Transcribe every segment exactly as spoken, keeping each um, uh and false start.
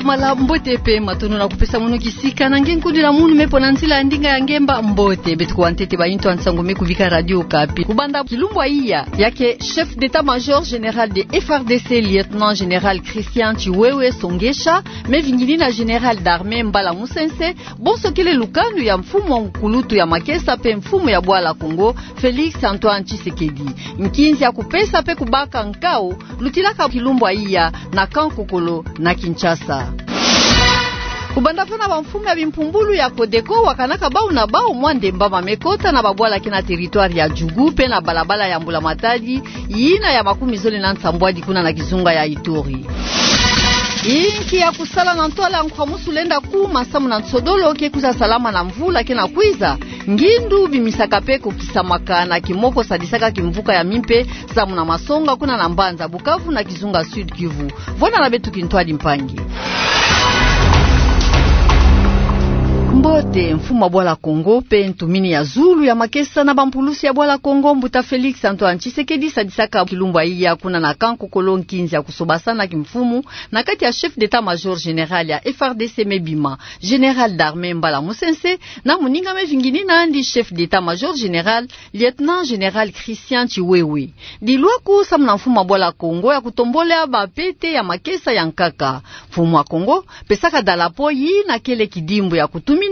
Mala mbote pe matondo na kupesa mono kisika na nge nkundi na munu me pona nzila ya ndinga ya ngemba mbote. Beto kuwa ntete ba intu ya nsangu me kubika Radio Okapi. Kubanda kilumbu ya iya, ya ke chef d'état-major général de F R D C, lieutenant général Christian Tsiwewe Songesha, me vinginina général d'armée Mbala Musense, bonso kele lukanu ya mfumu wa nkulutu ya makesa pe mfumu ya bwala Kongo, Félix Antoine Tshisekedi. Nkinzi ya kupesa pe kubaka nkao lutilaka kilumbu ya iya na Kankokolo na Kinshasa. Kubanda fana ba mfumu ya bimpumbulu ya Codeco wakanaka bau na bau mwa ndembama me kota na babwala ke na territoire ya Djougou pe na balabala ya Mbula Matadi, yina ya makumi zole na nsambwadi kuna na kizunga ya Ituri. Inki ya kusala na ntwala ya nkwamusu lenda kuma samu na nsodolo ke kwiza salama na mvula ke na kwiza? Ngindu bimisaka pe kokisamaka na kimoko sadisaka kimvuka ya mimpe samu na masonga kuna na mbanza Bukavu na kizunga Sud-Kivu. Vwanda na beto kintwadi mpangi. Mbote, mfumu wa bwala Kongo pe ntumini ya zulu ya makesa na bampulusi ya bwala Kongo, mbuta Félix Antoine Tshisekedi, sadisaka kilumbu ya iya kuna na Kankokolo nkinzi ya kusobasana kimfumu na kati ya chef d'état-major général ya F R D C me bima, général d'armée Mbala Musense, na moninga me vinginina yandi chef d'état-major général, lieutenant général Christian Tsiwewe. Dilwaku samu na mfumu wa bwala Kongo ya kutombola bapete ya makesa ya nkaka. Mfumu wa Kongo pesaka dalapo yina kele kidimbu ya kutumina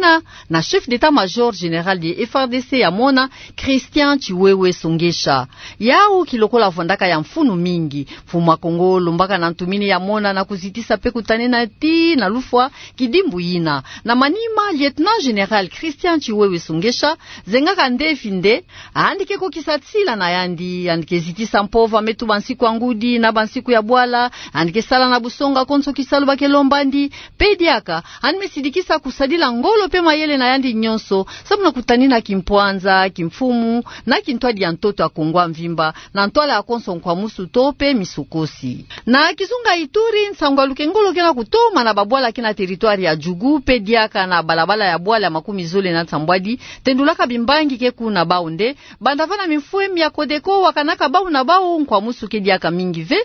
na chef d'état-major général de F R D C ya mona, Christian Tsiwewe Songesha. Yau kilokola vwandaka ya mfunu mingi. Mfumu wa Kongo lombaka na ntumini ya mona na kuzitisa pe kutanena tii na lufwa kidimbu yina. Na manima, lieutenant général Christian Tsiwewe Songesha zengaka ndefi nde, yandi ke kokisa nsila na yandi, yandi ke zitisa mpova me tuba nsiku ya ngudi na bansiku ya bwala, yandi ke sala na busonga konso kisalu ba ke lomba yandi, pe diaka, yandi me sidikisa kusadila ngolo pe mayele na yandi nyonso, samu na kutanina kimpwanza, kimfumu, na kintwadi ya ntoto ya Kongo ya mvimba, na ntwala ya konso nkwamusu to pe misokosi. Na kizunga Ituri, nsangu ya lukengolo ke na kutoma na babwala ke na territoire ya Djougou, pe diaka na balabala ya bwala ya makumi zole na nsambwadi, tendulaka bimbangi ke kuna bau nde, banda vana mimfuemi ya Codeco wakanaka bau na bau nkwamusu ke diaka mingi ve.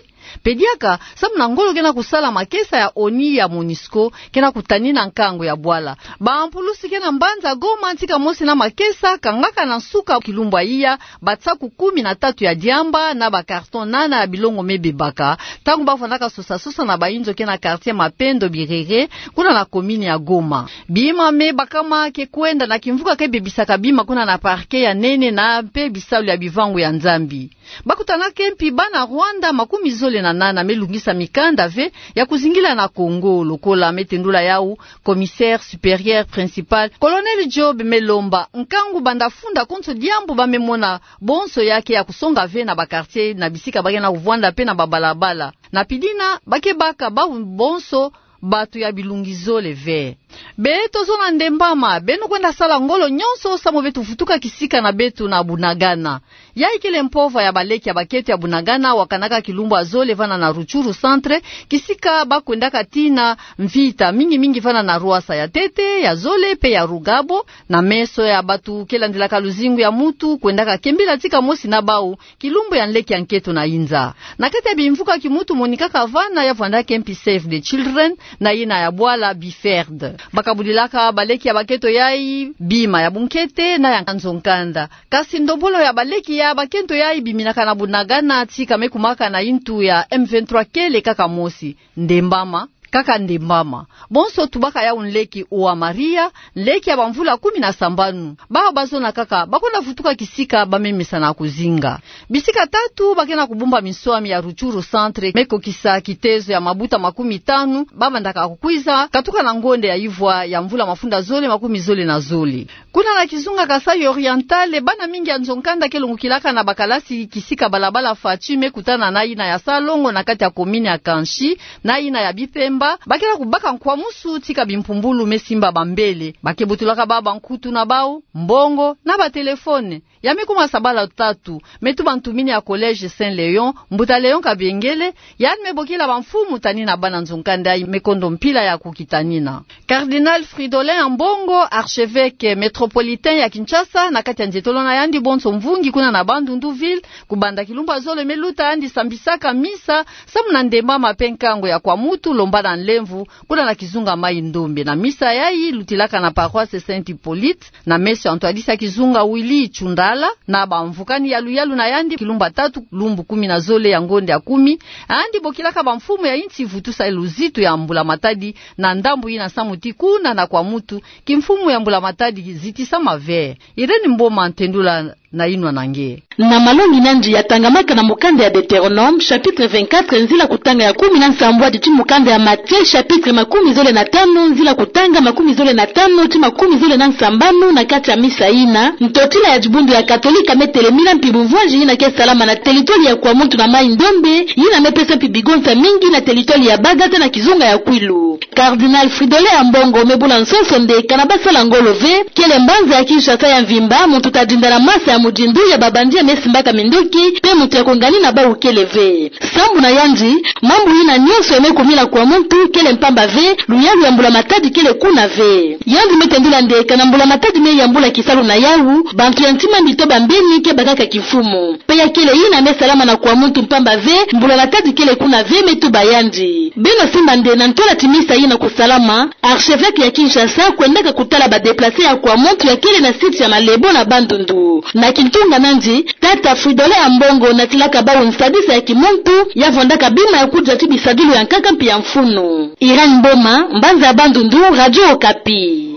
Pe diaka, samu na ngolo ke na kusala makesa ya ONI ya MONUSCO, ke na kutanina nkangu ya bwala. Bampulusi ke na mbanza Goma ntika mosi na makesa, kangaka na nsuka kilumbu ya iya, basaku kumi na tatu ya diamba na ba carton nana ya bilongo me bebaka, ntangu ba vandaka sosa-sosa na bayinzo ke na quartier Mapendo Birere, kuna na commune ya Goma. Bima me bakama ke kwenda na kimvuka ke bebisaka bima kuna na parquet ya nene na mpe bisalu ya bivangu ya Nzambi. Ba kutana ke mpi bana Rwanda makumi zole na nana me lungisa mikanda ve ya kuzingila na Kongo, lokola me tendula yau commissaire supérieur principal, colonel Job Melomba, nkangu banda funda konso diambu ba me mona bonso ya ke ya kusonga ve na ba quartier na bisika ba ke na kuvwanda mpe na babalabala. Na pidina, ba ke baka bau bonso bato ya bilungi zole ve. Beto zona ndembama, beno kwenda sala ngolo nyonso samu beto vutuka kisika na beto na Bunagana. Yayi kele mpova ya baleki ya bakento ya Bunagana, wakanaka kilumbu ya zole vana na Rutshuru centre, kisika ba kwendaka tii na mvita, mingi-mingi vana na Rwasa ya ntete, ya zole mpe ya Rugabo, na meso ya bato ke landilaka luzingu ya mutu, kwendaka kembila ntika mosi na bau, kilumbu ya nleki ya nkento na inza. Na kati ya bimvuka kimutu monikaka vana ya vwandaka mpi Save the Children, na yina ya bwala BIFERD. Ba kabudilaka baleki ya bakento yayi bima ya bunkete na ya nzo-nkanda. Kasi ndombolo ya baleki ya bakento yayi biminaka na Bunagana ntika me kumaka na yintu ya M vingt-trois kele kaka mosi. Ndembama, kaka ndembama. Bonso tubaka yau nleki Oa Maria, nleki ya bamvula kumi na sambanu. Bau ba zona kaka, ba kwenda vutuka kisika ba me mesana kuzinga. Bisika tatu ba ke na kubumba minswami ya Rutshuru centre, me kokisa kitezo ya mabuta makumi tanu, ba mandaka kukwiza katuka na ngonde ya ivwa ya mvula mafunda zole makumi zole na zole. Kuna na kizunga Kasaï Oriental, bana mingi ya nzo-nkanda ke longokilaka na bakalasi kisika balabala Fatshi me kutana na yina ya Salongo na kati ya commune ya Kanchi, na yina ya Bipemba, ba ke na kubaka nkwamusu ntika bimpumbulu me simba bambele. Ba ke botolaka bau bankutu na bau, mbongo, na batelefone. ya me kuma sabala tatu, me tuba ntumini ya Collège Saint Léon, Mbuta Léon Kabengele, yandi me bokila bamfumu tanina bana nzo-nkanda yayi me kondo mpila ya kukitanina. Cardinal Fridolin Ambongo, archevêque métropolitain ya Kinshasa, na kati ya nzietolo na yandi bonso mvungi kuna na Bandundu ville, kubanda kilumbu ya zole me luta yandi sambisaka misa, samu na ndembama pe nkangu ya Kwamutu, Lomba na Nlemvu, kuna na kizunga Mai-Ndombe. Na misa yayi lutilaka na paroisse Saint Hippolyte, na meso ya ntwadisi ya kizunga Willy Tshundala, na bamvukani yaluyalu na yandi, kilumbu ya tatu, lumbu kumi na zole ya ngonde ya kumi, yandi bokilaka bamfumu ya insi vutusa luzitu ya Mbula Matadi, na ndambu yina samu ti kuna na Kwamutu, kimfumu ya Mbula Matadi zitisama ve. Irène Mboma, ntendula na yinwa na nge. Na malongi nandi yatangamaka na mukanda ya Deutéronome, chapitre vingt-quatre, nzila kutanga ya kumi na nsambwadi, ti mukanda ya Matthieu, chapitre makumi zole na tanu, nzila kutanga makumi zole na tanu ti makumi zole na nsambanu, na kati ya misa yina, ntotila ya dibundu ya Katolika me telemina mpi bumvwanji yina ke salama na teritwari ya Kwamutu na Mai-Ndombe, yina me pesa mpi bigonsa mingi na teritwari ya Bagata na kizunga ya Kwilu. Cardinal Fridolin Ambongo me bula nsonso nde kana basala ngolo ve, kele mbanza ya Kinshasa ya mvimba, muntu tadinda na masa ya mudindu ya babandi ya me simbaka mindoki, pe muntu ya kongani na bawu kele ve. Sambu na yandi, mambu yina nyonso ya me kumila Kwamutu kele mpamba ve, luyalu ya Mbula Matadi kele kuna ve. Yandi me tendula nde kana Mbula Matadi me yambula kisalu na yawu, bantu ya ntima mbi to bambeni ke bakaka kimfumu. Pe ya kele yina me salama na Kwamutu mpamba ve, Mbula Matadi kele kuna ve, me tuba yandi. Beno simba nde na ntwala ti misa yina kusalama, archevêque ya Kinshasa kwendaka kutala ba déplacés ya Kwamutu ya kele na site ya Malebo na Bandundu. Na kintunga nandi, tata Fridolin Ambongo natilaka bawu nsadisa ya kimuntu, ya vwandaka bima ya kudia ti bisadilu ya nkaka mpi ya mfunu. Irène Mboma, mbanza ya Bandundu, Radio Okapi.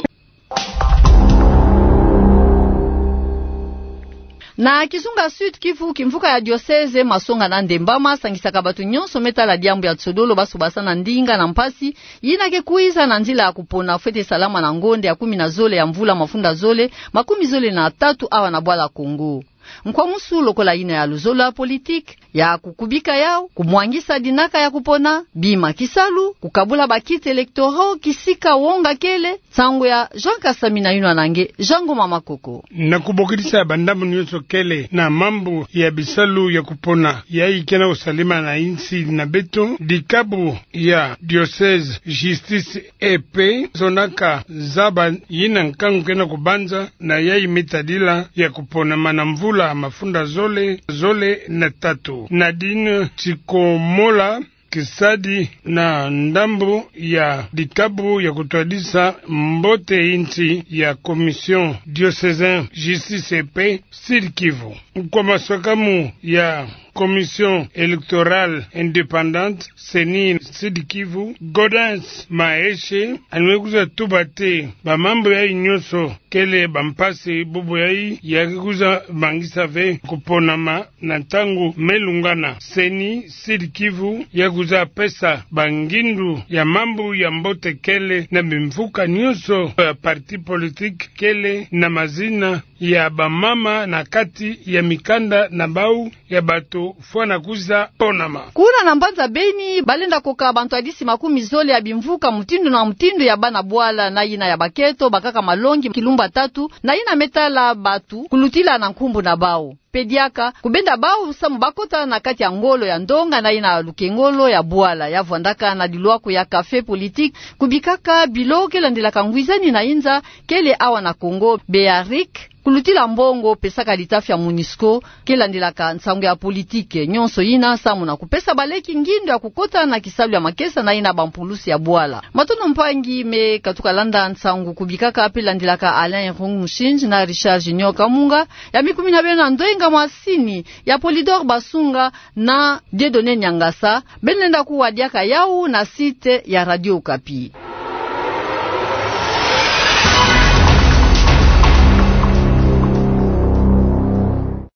Na kizunga Sud-Kivu, kimvuka ya diocèse, masonga na ndembama sangisaka bato nyonso me tala diambu ya nsodolo, basobasana ndinga na mpasi yina ke kwiza na nzila ya kupona fwete salama na ngonde ya kumi na zole ya mvula mafunda zole makumi zole na tatu awa na bwala Congo. Nkwamusu lokola yina ya luzolo ya politique, ya kukubika yawu, kumwangisa dinaka ya kupona, bima kisalu, kukabula ba kits électoraux, kisika wonga kele, nsangu ya Jean Kasami na yinwa na nge, Jean Ngoma Makoko. Na kubokidisa bandambu nyonso kele na mambu ya bisalu ya kupona, yayi ke na kusalema na insi na beto, dikabu ya diocèse, justice et paix, zonaka zaba yina nkangu ke na kubanza, na yayi me tadila ya kuponama na mvula mafunda zole, zole na tatu. Nadine Tsikomola, kisadi na ndambu ya dikabu ya kutwadisa mbote insi ya Commission Diocésaine Justice et Paix Sud-Kivu. Kwa maswakamu ya Commission Électorale Indépendante, CENI Sud-Kivu, Gaudens Maeshe, yandi me kwiza tuba te bamambu yayi nyonso kele bampasi, bubu yayi ya ke kwiza mangisa ve kuponama na ntangu me lungana. CENI Sud-Kivu ya kwiza pesa bangindu ya mambu ya mbote kele na bimvuka nyonso ya parti politique kele na mazina ya bamama na kati ya mikanda na bawu ya bato fwana kwiza ponama. Kuna na mbanza Beni, balenda koka bantwadisi makumi zole ya bimvuka mutindu na mutindu ya bana bwala na yina ya baketo bakaka malongi kilumbu ya tatu, na yina me tala bato kulutila na nkumbu na bawu. Pe diaka, kubenda bawu samu bakota na kati ya ngolo ya ndonga na yina lukengolo ya bwala ya vwandaka na dilwaku ya café politique, kubikaka bilo ke landilaka ngwizani na inza kele awa na Congo, Béaric, kulutila mbongo pesaka litafi ya MONUSCO, ke landilaka nsangu ya politique. Nyonso yina samu na kupesa baleki ngindu ya kukota na kisalu ya makesa na yina bampulusi ya bwala. Matondo mpangi me katuka landa nsangu kubikaka pe landilaka Alain Irung Mushinji na Richard Junior Kamunga, ya mikumina beno na ndwenga masini ya Polydor Basunga na Dieudonné Niangasa, beno lenda kuwa diaka yawu na site ya Radio Okapi.